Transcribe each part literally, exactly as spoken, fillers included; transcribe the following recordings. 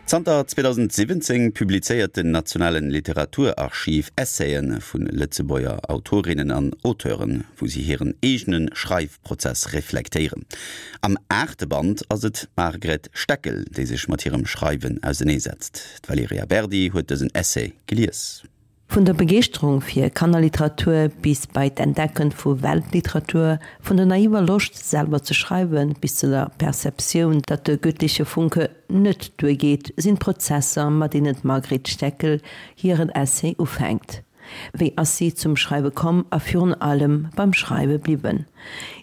Zanter zweedausendsiwwenzéng publizéiert den Nationalen Literaturarchiv Essaien vun Lëtzebuerger Autorinnen an Auteuren, wou si hiren eegene Schreifprozess reflektéieren. Am aachte Band ass et d'Margret Steckel, déi sech mat hirem Schreiwen auserneesetzt. D'Valerija Berdi huet dësen Essai gelies. Vun der Begeeschterung fir Kannerliteratur bis bei d'Entdecken vu Weltliteratur, vun der naiver Loscht selwer ze schreiwen bis zu der Perceptioun, datt de göttliche Funke net duergeet, sinn d'Prozesser, mat deenen d'Margret Steckel hiren Essay ufänkt. Wéi ass si zum Schreiwe komm a virun allem beim Schreiwe bliwwen?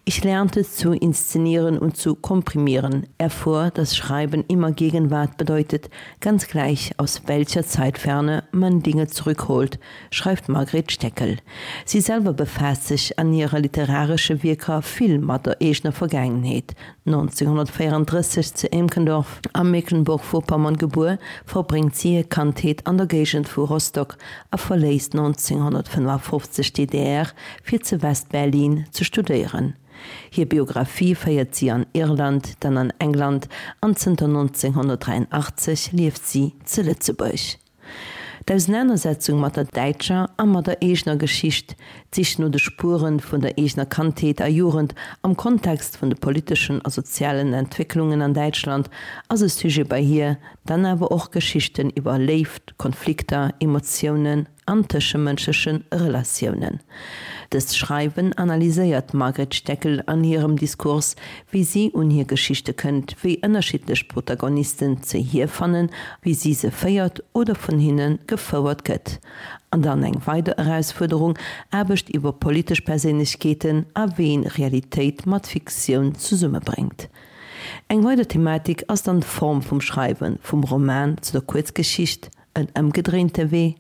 Ich lernte zu inszenieren und zu komprimieren, erfuhr, dass Schreiben immer Gegenwart bedeutet, ganz gleich aus welcher Zeitferne man Dinge zurückholt, schreift Margret Steckel. Si selwer befaasst sech an hire literaresche Wierker vill mat der eegener Vergaangenheet. neunzehnhundertvéierunddrësseg zu Emkendorf a Mecklenburg-Vorpommern gebuer, verbréngt si hir Kandheet an der Géigend vu Rostock a verléisst neunzehnhundertfënnefundfofzeg d'DDR fir zu West-Berlin ze studéieren. Hir Biographie féiert si an Irland, dann an England an zënter neunzehnhundertdräiundachtzeg lieft si zu Lëtzebuerg. D'Ausenanersetzung mat der däitscher a mat der eegener Geschicht, d'Sich no de Spuere vun der eegener Kandheet a Jugend am Kontext vun de politeschen a sozialen Entwécklungen an Däitschland ass e Sujet bei hir, dann awer och Geschichten iwwer Léift, Konflikter, Emotiounen an tëschemënschleche Relatiounen. Dëst Schreiwen analyséiert d'Margret Steckel an hirem Diskurs, wéi si un hir Geschichte kënnt, wéi ënnerschiddlech Protagonisten ze hir fannen, wéi si se féiert oder vun hinne gefouert gëtt. An dann eng weider Erausfuerderung, Aarbecht iwwer politesch Perséinlechkeeten a wéi een Realitéit mat Fiktioun zesummebréngt. Eng weider Thematik ass dann d'Form vum Schreiwen, vum Roman zu der Kuerzgeschicht, en ëmgedréinte Wee?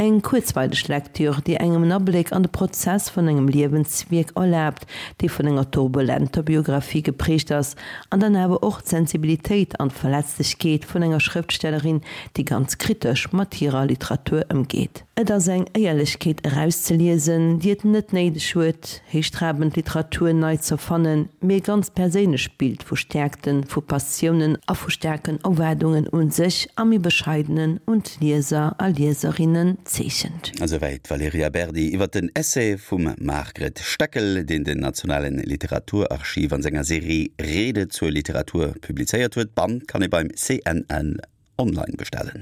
Eng kuerzweileg Lektür, déi engem en Abléck an de Prozess vun engem Liewenswierk erlaabt, dee vun enger turbulenter Biographie geprägt ass, an dann awer och d'Sensibilitéit an d'Verletzlechkeet vun enger Schrëftstellerin, déi ganz kritesch mat hirer Literatur ëmgeet. Et ass eng Éierlechkeet erauszeliesen, déi et net néideg huet, héichtrabend Literatur nei z'erfannen, mee e ganz perséinlecht Bild vu Stäerkten, vu Passiounen a vu staarken Erwaardungen un sech a méi bescheidenen un d'Lieser a Lieserinnen zeechent. Esouwäit d'Valerija Berdi iwwer den Essai vum Margret Steckel, deen den Nationalen Literaturarchiv an senger Serie Rede zur Literatur publizéiert huet. D'Band kann ee beim C N L online bestellen.